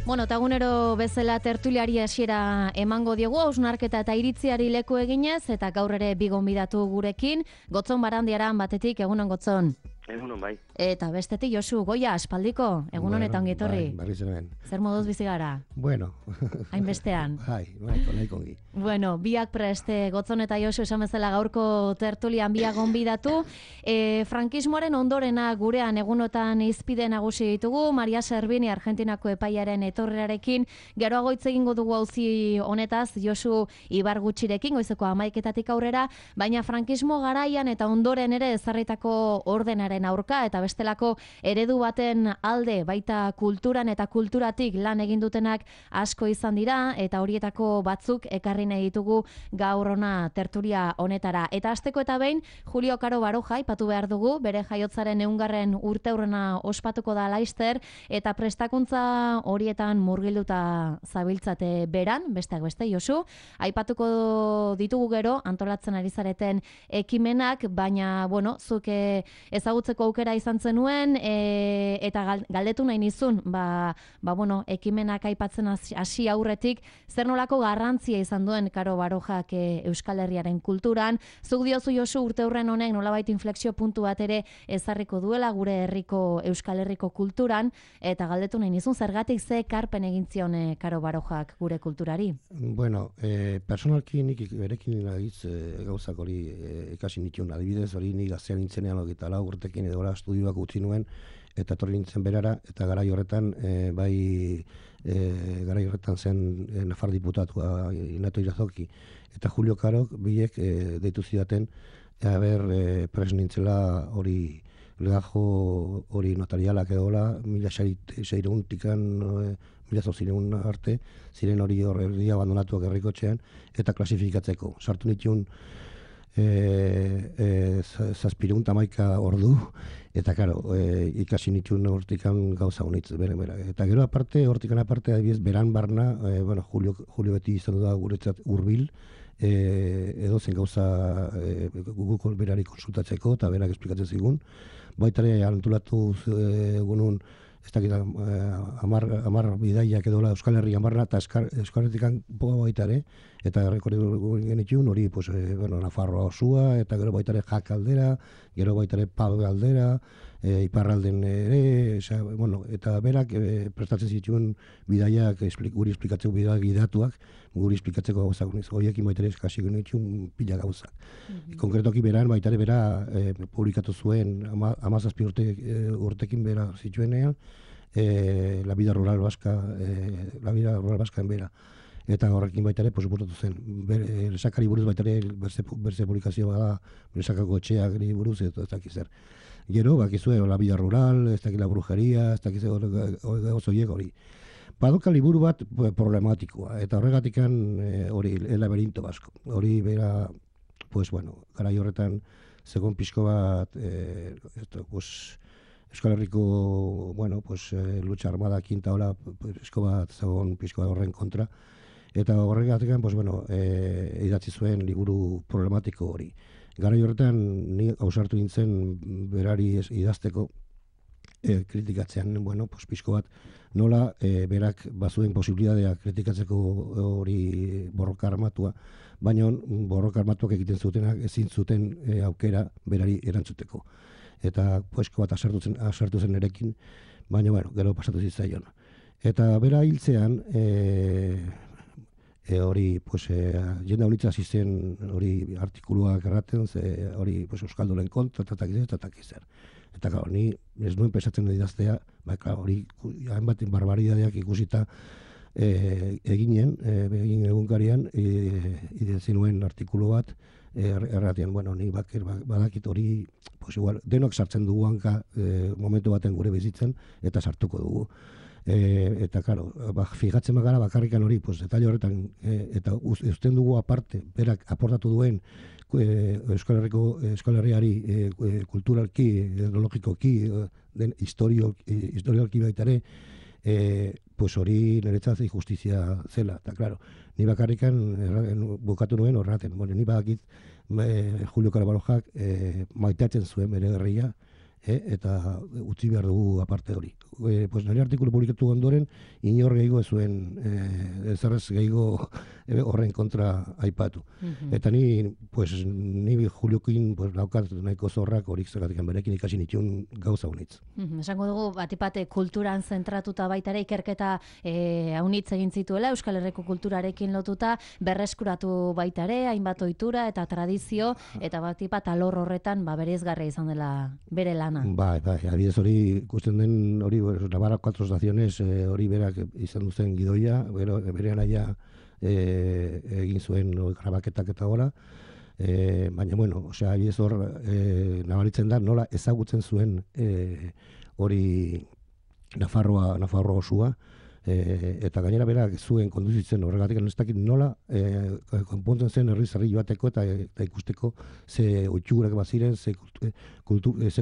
Bueno, eta egunero bezala tertuliari hasiera emango diogu, hausnarketa eta iritziari leku eginez, eta gaur ere bi gonbidatu gurekin, Gotzon Barandiaran batetik, egunon Gotzon. Egunon bai. Eta bestetik Josu Goia, aspaldiko, egunon eta ongitorri. Bai, zer moduz bizi gara? Bueno. Hainbestean. Nahiko ongi. Bueno, biak preste, Gotzon eta Josu esan bezala gaurko tertulian biak gonbidatu. Frankismoaren ondorena gurean egunotan izpide nagusi ditugu, Maria Servini Argentinako epaiaren etorrerarekin, geroago hitz egingo dugu auzi honetaz, Josu Ibar gutxirekin, goizeko 11:00 aurrera, baina frankismo garaian eta ondoren ere ezarritako ordenaren aurka eta bestelako eredu baten alde baita kulturan eta kulturatik lan egin dutenak asko izan dira eta horietako batzuk ekarri nahi ditugu gaur ona tertulia honetara. Eta hasteko eta behin Julio Caro Baroja aipatu behar dugu, bere jaiotzaren 100. urteurrena ospatuko da laster eta prestakuntza horietan murgilduta zabiltzate beran, besteak beste Josu, aipatuko ditugu gero antolatzen ari zareten ekimenak, baina bueno, zuk ezagutzeko aukera izan zenuen eta galdetu nahi nizun, bueno, ekimenak aipatzen hasi aurretik, zer nolako garrantzia izan duen Caro Barojak Euskal Herriaren kulturan. Zuk diozu Josu urteurren honek nolabait inflexio puntu bat ere ezarriko duela gure herriko Euskal Herriko kulturan, eta galdetu nahi nizun zergatik ze ekarpen egin zion Caro Barojak gure kulturari? Bueno, personalki nik berekin nagiz gauzak hori ikasi nituen, adibidez hori nik gaztean nintzenean 24 urtekin edo estudioak utzi nuen, eta etorri nintzen berara, eta garai horretan zen Nafar diputatua Inato Irazoki eta Julio Caro biek deitu zidaten pres nintzela hori legajo hori notarialak edola 1600tikan 1800 arte ziren hori horri abandonatuak herrikotxean eta klasifikatzeko. Sartu nituen 711 ordu eta claro, ikasi nituen hortikan gauza honitz bere. Eta gero aparte, hortikan aparte adibidez beran barna, Julio beti izan da guretzat hurbil, edo zen gauza Google berari konsultatzeko eta berak esplikatzen zigun. Baitare antolatu egunun ez dakit 10 bidaiak edola Euskal Herrian barna eta Euskal Herrikan poga baitare, eta rekordu genituen hori, Nafarroa osua, eta gero baitare Jak aldera, gero baitare Pau aldera, Iparralden ere, eta berak prestatzen zituen bidaiak, guri esplikatzeko bidaiak gidatuak, guri esplikatzeko gauzak, horiekin baitare eskasi genituen pila gauzak. Konkretoki beran, baitare bera publikatu zuen, 17 urtekin bera zituenean, La vida rural vasca en bera. Eta horrekin baitare posupurtatu zen. Lesakari buruz baitare berze publikazio bada, lesakako etxeak buruz eta ez dakiz zer. Gero, bakizue, La vida rural, ez dakiz la brujeria, ez dakiz ozoiek hori. Badoka liburu bat problematikoa, eta horregatikan hori, El laberinto basko. Hori bera, garai horretan, zegoen pixko bat, Euskal Herriko, lucha armada kinta hola, pixko bat horren kontra, eta horregatik, idatzi zuen liburu problematiko hori. Garai horretan, ni ausartu nintzen berari idazteko kritikatzean, pixko bat, nola berak bazuen posibilitatea kritikatzeko hori borroka armatua, baina borroka armatuak egiten zutenak ezin zuten aukera berari erantzuteko. Eta poesko bat asartu zen erekin, baina gero pasatu zitzaion. Eta bera hiltzean, hori, jende honitza hasi zen hori artikuluak erraten, hori Euskaldunen kontra, eta takizer. Eta ni ez nuen pesatzen idaztea, hori hainbat barbaridadeak ikusita egin egunkarian, idatzi nuen artikulu bat, erratean, ni badakit hori, denok sartzen dugu hanka momentu baten gure bizitzen, eta sartuko dugu. Eta, fijatzen bagara bakarrikan hori, detalle horretan, eta uzten dugu aparte, berak aportatu duen Euskal Herriari kulturalki, etnologikoki, den historialki baitare, hori niretzat justizia zela. Eta, ni bakarrikan bukatu nuen horraten. Ni badakit Julio Caro Barojak maitatzen zuen bere herria, eta utzi behar dugu aparte hori. Pues nire artikulu publikatu ondoren, inor gehiago ez zuen, ezerrez gehiago horren kontra aipatu. Eta ni Juliokin naukat nahiko zorrak horik zergatik berekin ikasi nituen gauza honitz. Esango dugu, batipate kulturan zentratuta baita ere ikerketa haunitz egin zituela, Euskal Herriko kulturarekin lotuta, berreskuratu baita ere, hainbat ohitura eta tradizio, eta batipat alor horretan bereizgarria izan dela bere lana. Bai, adibidez hori ikusten den hori Navarra 4 estaciones hori berak izan duzen gidoia, bere anaia egin zuen grabaketak eta gora, baina bueno, adibidez hor nabaritzen da nola ezagutzen zuen hori Nafarroa osua, eta gainera berak zuen konduzitzen horregatik ez dakit nola konpontzen zen herri joateko eta ikusteko ze oitxugurak baziren, ze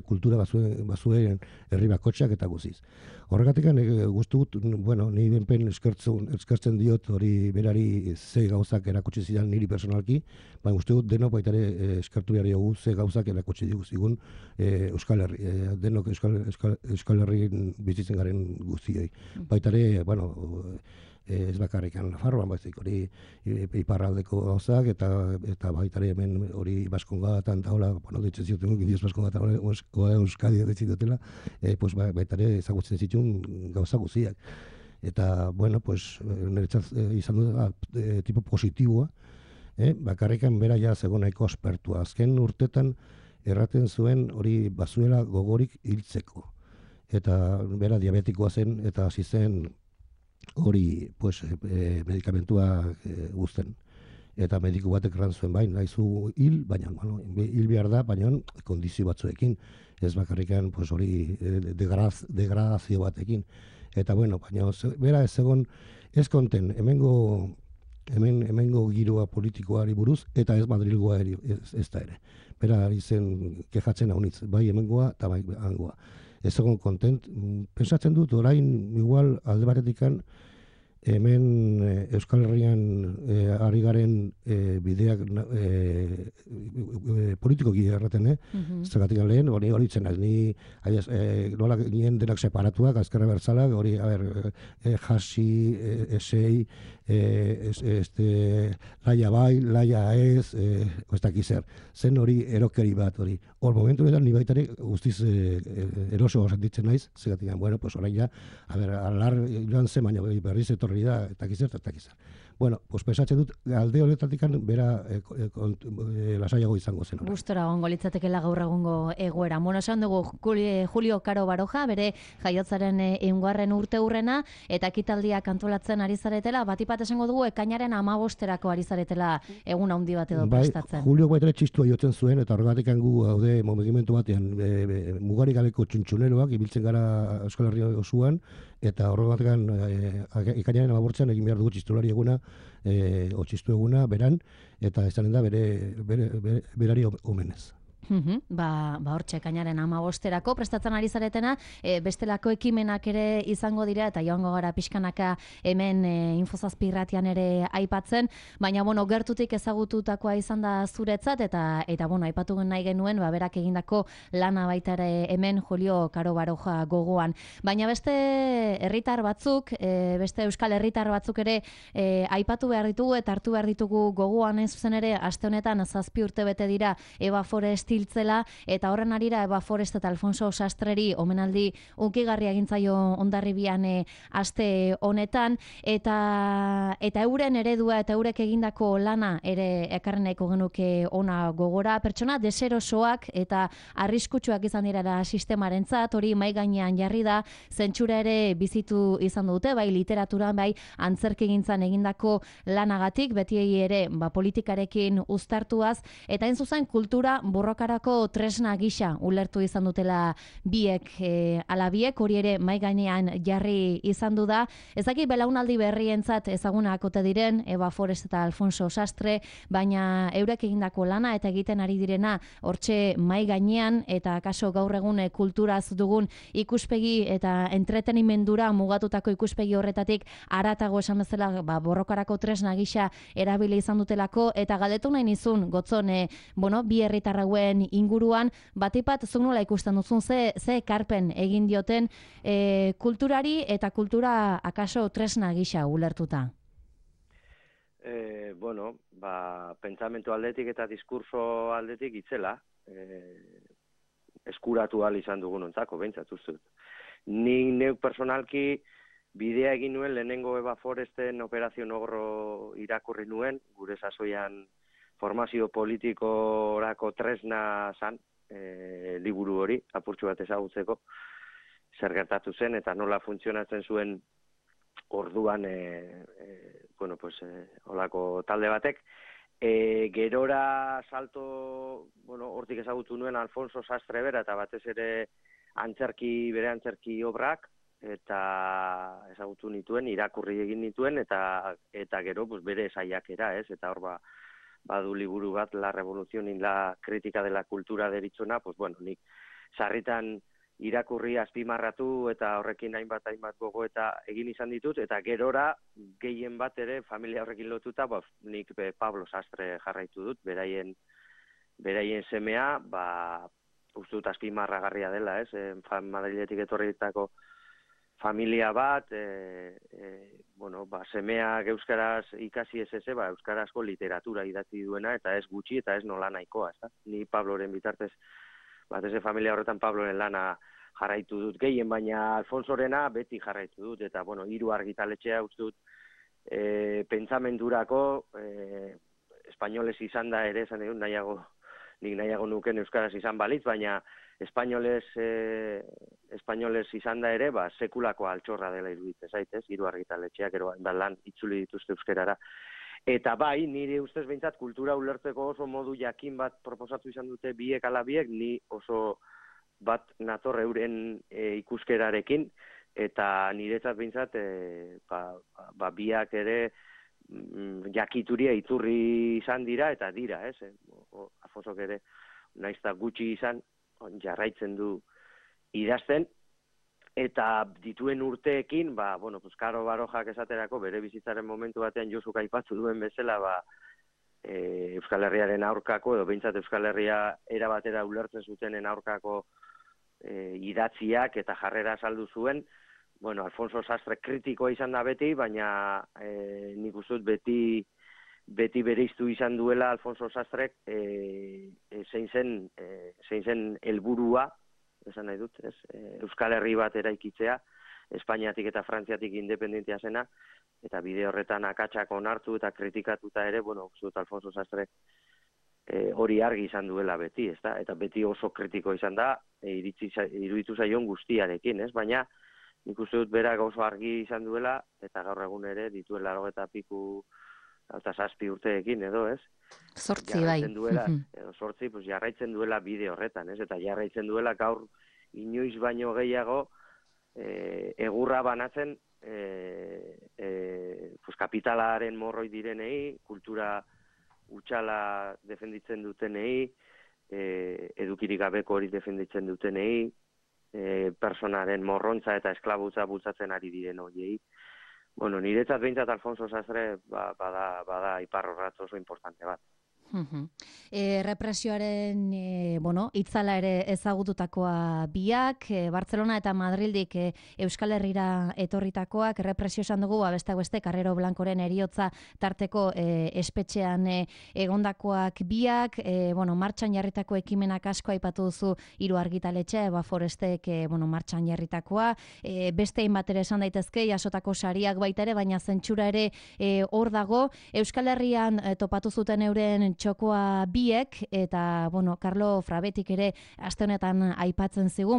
kultura bazuen herri bakotxak eta guziz. Horregatik guztu gut, ni benpen eskertzen diot hori berari ze gauzak erakutsi zidan niri personalki, baina guztu gut denok baita ere eskertu behar dugu ze gauzak erakutsi zigun Euskal Herri, denok Euskal Herrian bizitzen garen guztioi. Baita ere, ez bakarrikan Nafarroan, baizik hori iparraldeko gauzak, eta baita ere hemen hori Baskongatan eta hola, ditzen zioten Indios Baskongatan, Euskadi ditzen dutela, baita ere ezagutzen zituen gauza guztiak. Eta, niretzat izan du tipo positiboa, bakarrikan bera ja zegoen nahiko aspertua. Azken urtetan erraten zuen hori bazuela gogorik hiltzeko. Eta bera diabetikoa zen, eta hasi zen hori medikamentua guzten. Eta mediku batek erran zuen nahizu hil, baina hil behar da, baina kondizio batzuekin, ez bakarrikan hori degradazio batekin. Eta baina bera ez egon, ez konten, hemengo giroa politikoari buruz, eta ez Madrilgoa ez da ere. Bera ari zen kejatzen haunitz, bai hemengoa eta bai hangoa. Ez egon kontent, pensatzen dut orain igual alde batetikan hemen Euskal Herrian ari garen bideak politikoki erraten, zergatik lehen, hori zen, nola ginen denak separatuak, azkerra bertzalak, hori, jasi, esei, laia bai, laia ez, ez dakizer, zen hori erokeri bat hori. Hor momentu edan, ni baitare guztiz eroso sentitzen naiz, zergatik, orain ja, alar joan zen, baina berriz etorri da, eta kizer. Pensatzen dut, alde honetatik bera lasaiago izango zen. Gustora gongo litzatekela gaur egungo egoera. Esan dugu Julio Caro Baroja, bere jaiotzaren 100. urte hurrena, eta ekitaldiak antolatzen ari zaretela, batipat esango dugu ekainaren 15erako ari zaretela egun handi bat edo prestatzen. Julio baita txistua jotzen zuen, eta horregatik gu gaude mugimendu batean mugarik gabeko txuntxuneroak, ibiltzen gara Euskal Herria osoan, eta horregatik ekainaren 15 egin behar dugu txistulari eguna, txistu eguna, beran, eta izanen da berari omenez. Hortxe ekainaren 15erako prestatzen ari zaretena, bestelako ekimenak ere izango dira, eta joango gara pixkanaka hemen Infozazpi irratian ere aipatzen, baina gertutik ezagututakoa izan da zuretzat, eta aipatu nahi genuen, berak egindako lana baita ere hemen Julio Caro Baroja gogoan. Baina beste herritar batzuk, beste euskal herritar batzuk ere aipatu behar ditugu, eta hartu behar ditugu gogoan ez zuzen ere, aste honetan 7 urte bete dira Eva Forest hiltzela, eta horren arira Eva Forest eta Alfonso Sastreri omenaldi unkigarria egintzaio Hondarribian aste honetan, eta euren eredua eta eurek egindako lana ere ekarren nahiko genuke ona gogora, pertsona deserosoak eta arriskutsuak izan dira sistemarentzat, hori mai gainean jarri da, zentsura ere bizitu izan dute, bai literaturan, bai antzerkigintzan egindako lanagatik, betiei ere politikarekin uztartuaz, eta hain zuzen kultura borrokarako tresna gisa ulertu izan dutela biek, hori ere mai gainean jarri izan du da. Ezaki belaunaldi berrientzat ezagunak ote diren Eva Forest eta Alfonso Sastre, baina eurek egindako lana eta egiten ari direna hortxe mai gainean, eta kaso gaur egun kulturaz dugun ikuspegi eta entretenimendura mugatutako ikuspegi horretatik haratago esan bezala borrokarako tresna gisa erabili izan dutelako, eta galdetu nahi nizun gotzon bi herritar hauen horren inguruan, batipat zuk nola ikusten duzun, ze ekarpen egin dioten kulturari eta kultura akaso tresna gisa ulertuta? Bueno, pentsamentu aldetik eta diskurso aldetik itzela, eskuratu ahal izan dugun ontzako, behintzat ustut. Ni neuk personalki bidea egin nuen lehenengo Eva Foresten Operazio Nogro irakurri nuen, gure sasoian formazio politikorako tresna zan, liburu hori, apurtxu bat ezagutzeko, zer gertatu zen eta nola funtzionatzen zuen orduan olako talde batek. Gerora salto, hortik ezagutu nuen Alfonso Sastre bera eta batez ere bere antzerki obrak, eta ezagutu nituen, irakurri egin nituen, eta gero bere saiakera, ez? Eta hor badu liburu bat, La Revolución y la Crítica de la Cultura deritzona, nik sarritan irakurri azpimarratu eta horrekin hainbat gogo eta egin izan ditut, eta gerora gehien bat ere familia horrekin lotuta, nik Pablo Sastre jarraitu dut, beraien semea, uste dut azpimarragarria dela, ez? Madriletik etorritako familia bat, semeak euskaraz ikasi ez euskarazko literatura idatzi duena, eta ez gutxi, eta ez nola nahikoa, ez da? Ni Pabloren bitartez, batez familia horretan Pabloren lana jarraitu dut gehien, baina Alfonsorena beti jarraitu dut, eta, hiru argitaletxea uste dut pentsamendurako, espainolez izan da ere, esan egun, nik nahiago nuken euskaraz izan balitz, baina espainolez izan da ere, sekulako altxorra dela iruditzen zaitez, hiru argitaletxeak ero lan itzuli dituzte euskerara. Eta nire ustez behintzat kultura ulertzeko oso modu jakin bat proposatu izan dute biek ala biek, ni oso bat nator euren ikuskerarekin, eta niretzat behintzat biak ere jakituria iturri izan dira, eta dira, ez? Alfonsok ere, naizta gutxi izan, jarraitzen du idazten, eta dituen urteekin, Karo Barojak esaterako, bere bizitzaren momentu batean Josuk aipatu duen bezala, Euskal Herriaren aurkako, edo behintzat Euskal Herria erabatera ulertzen zutenen aurkako idatziak eta jarrera saldu zuen. Alfonso Sastre kritikoa izan da beti, baina nik uste dut beti bereiztu izan duela Alfonso Sastrek zein zen helburua, esan nahi dut, ez? Euskal Herri bat eraikitzea, Espainiatik eta Frantziatik independentia zena, eta bide horretan akatsak onartu eta kritikatuta ere, uste dut Alfonso Sastrek hori argi izan duela beti, ezta? Eta beti oso kritiko izan da, iruditu zaion guztiarekin, ez? Baina nik uste dut berak oso argi izan duela, eta gaur egun ere dituela 87 urteekin edo, ez? 8 bai. Jarraitzen duela bide horretan, ez? Eta jarraitzen duela gaur inoiz baino gehiago egurra banatzen kapitalaren morroi direnei, kultura utxala defenditzen dutenei, edukirik gabeko hori defenditzen dutenei, personaren morrontza eta esklabutza bultzatzen ari diren horiei. Niretzat behintzat Alfonso Sastre bada iparrorratz oso importante bat. Represioaren itzala ere ezagututakoa biak, Bartzelona eta Madrildik Euskal Herrira etorritakoak, represio esan dugu, besteak beste, Carrero Blancoren heriotza tarteko espetxean egondakoak biak, martxan jarritako ekimenak asko aipatu duzu hiru argitaletxe, Eva Forestek martxan jarritakoa, beste hainbat ere esan daitezke, jasotako sariak baita ere, baina zentsura ere hor dago, Euskal Herrian topatu zuten euren txokoa biek, eta, Carlo Frabetik ere aste honetan aipatzen zigu,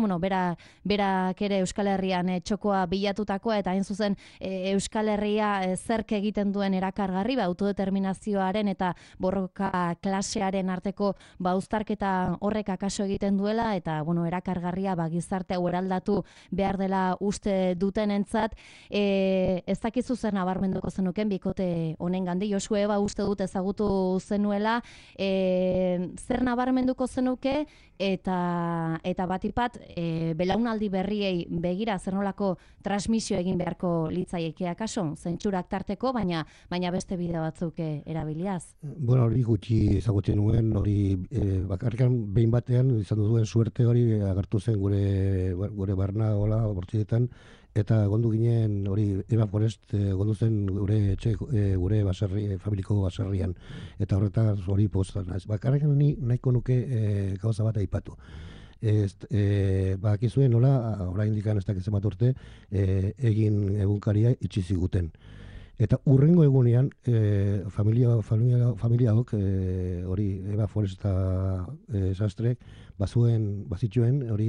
berak ere Euskal Herrian txokoa bilatutakoa, eta hain zuzen Euskal Herria zerk egiten duen erakargarri, autodeterminazioaren eta borroka klasearen arteko uztarketa horrek akaso egiten duela, eta, erakargarria gizarte hau eraldatu behar dela uste dutenentzat, ez dakizu zer nabarmenduko zenuken bikote honen gandi, Josue uste dut ezagutu zenuela, bezala, zer nabarmenduko zenuke eta batipat belaunaldi berriei begira zer nolako transmisio egin beharko litzaieke akaso, zentsurak tarteko, baina beste bide batzuk erabiliaz. Bueno, hori gutxi ezagutzen nuen, hori bakarrikan behin batean izan duen suerte hori agertu zen gure barna hola bortzidetan, eta gondu ginen hori Eva Forest gondu zen gure baserri, familiko baserrian, eta horretaz hori poztan. Bakarrikan nahiko nuke gauza bat aipatu. Bakizuen nola, orain dikan ez dakitzen bat urte, egin egunkaria itxi ziguten. Eta urrengo egunean, familiaok, hori Eva Forest eta Sastre, bazituen hori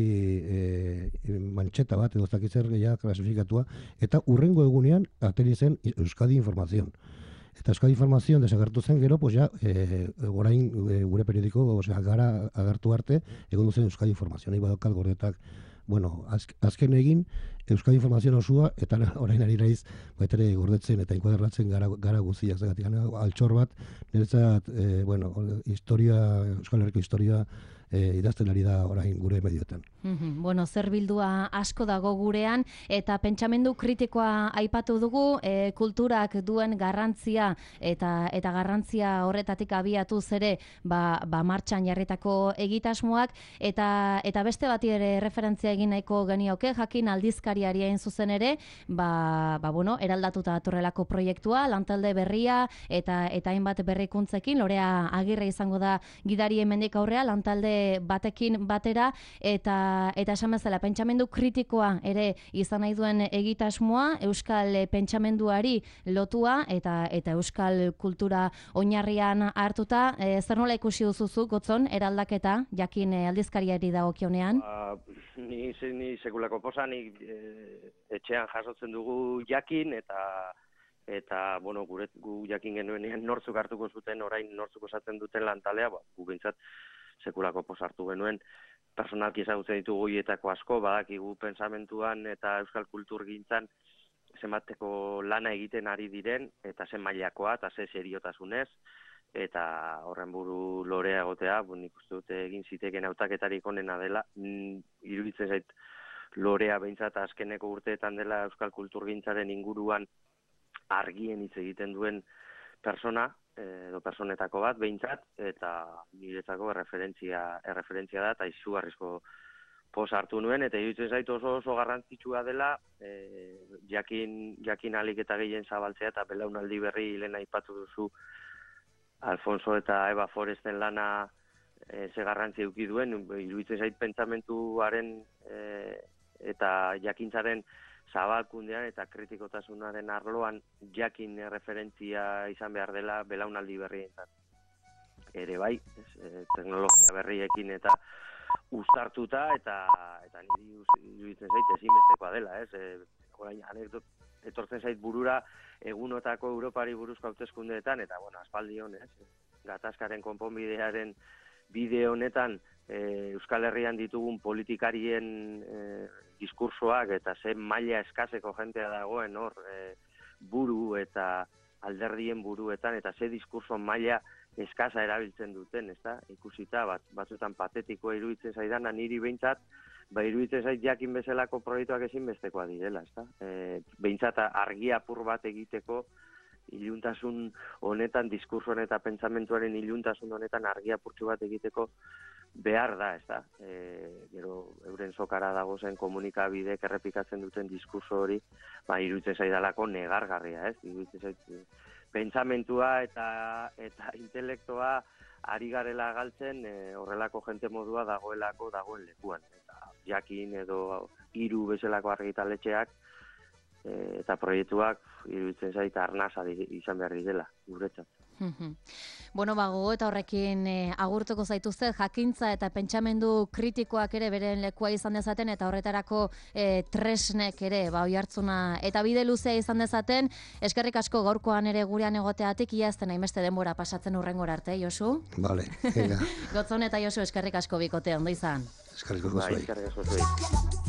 mantxeta bat, edo zakitzer gehiago klasifikatua, eta urrengo egunean ateri zen Euskadi Informazion. Eta Euskadi Informazion desagertu zen gero, pues ja, orain gure periodiko gara agertu arte, egon duzen Euskadi Informazion. Nahi badokal gordetak, bueno, azken egin, Euskadi Informazion osua, eta orain ari naiz, baitere gordetzen eta inkuaderratzen gara guztiak zagatik. Altxor bat, niretzat, bueno, Euskal Herriko historia idazten ari da orain gure medioetan. Bueno, zer bildua asko dago gurean, eta pentsamendu kritikoa aipatu dugu, kulturak duen garrantzia eta garrantzia horretatik abiatuz ere martxan jarritako egitasmoak, eta beste bati ere referentzia egin nahiko genioke, jakin aldizkariari hain zuzen ere, bueno, eraldatuta datorrelako proiektua, lantalde berria eta hainbat berrikuntzekin, Lorea Agirre izango da gidari hemendik aurrea, lantalde batekin batera, eta esan bezala pentsamendu kritikoa ere izan nahi duen egitasmoa, euskal pentsamenduari lotua eta euskal kultura oinarrian hartuta. Zer nola ikusi duzuzu, Gotzon, eraldaketa, jakin aldizkariari dagokionean? Ni sekulako posa, ni etxean jasotzen dugu jakin, eta bueno, gu jakin genuenean nortzuk hartuko zuten, orain nortzuk osatzen duten lantalea, gu bintzat sekulako posa hartu genuen, personalki ezagutzen ditugu hietako asko, badakigu pensamentuan eta euskal kulturgintzan zenbateko lana egiten ari diren, eta zen mailakoa, eta ze seriotasunez, eta horren buru Lorea egotea, nik uste dute egin ziteken hautaketarik onena dela, iruditzen zait Lorea behintzat azkeneko urteetan dela euskal kulturgintzaren inguruan argien hitz egiten duen persona, edo personetako bat behintzat, eta niretzako erreferentzia da, eta izugarrizko posa hartu nuen, eta iruditzen zait oso garrantzitsua dela, jakin alik eta gehien zabaltzea, eta belaunaldi berri lehen aipatu duzu Alfonso eta Eva Foresten lana ze garrantzi eduki duen, iruditzen zait pentsamentuaren eta jakintzaren zabalkundean eta kritikotasunaren arloan jakin referentzia izan behar dela belaunaldi berrientzat. Ere bai, teknologia berriekin eta uztartuta, eta niri iruditzen zait ezinbestekoa dela, orain etortzen zait burura egunotako Europari buruzko hauteskundeetan, eta bueno, aspaldi honez, gatazkaren konponbidearen bide honetan Euskal Herrian ditugun politikarien diskursoak eta ze maila eskaseko jentea dagoen hor buru eta alderdien buruetan, eta ze diskurso maila eskasa erabiltzen duten, ezta? Ikusita batzuetan patetikoa iruditzen zaidana niri behintzat, iruditzen zait jakin bezalako proiektuak ezinbestekoa direla, ezta? Behintzat argi apur bat egiteko iluntasun honetan, diskursoan eta pentsamentuaren iluntasun honetan argi apurtxu bat egiteko behar da, ezta? Gero euren sokara dago zen komunikabidek errepikatzen duten diskurso hori, iruditzen zaidalako negargarria, ez? Iruditzen zait pentsamentua eta intelektoa ari garela galtzen horrelako jente modua dagoen lekuan. Eta jakin edo hiru bezalako argitaletxeak eta proiektuak iruditzen zait arnasa izan behar dela, guretzat. Bueno, gogo eta horrekin agurtuko zaituzte, jakintza eta pentsamendu kritikoak ere beren lekua izan dezaten, eta horretarako tresnek ere oihartzuna eta bide luzea izan dezaten. Eskerrik asko gaurkoan ere gurean egoteatik, ia ez den hainbeste denbora pasatzen hurrengora arte, Josu? Vale, venga. Gotzon eta Josu, eskerrik asko bikote, ondo izan. Eskerrik asko zuei. Eskerrik asko zuei.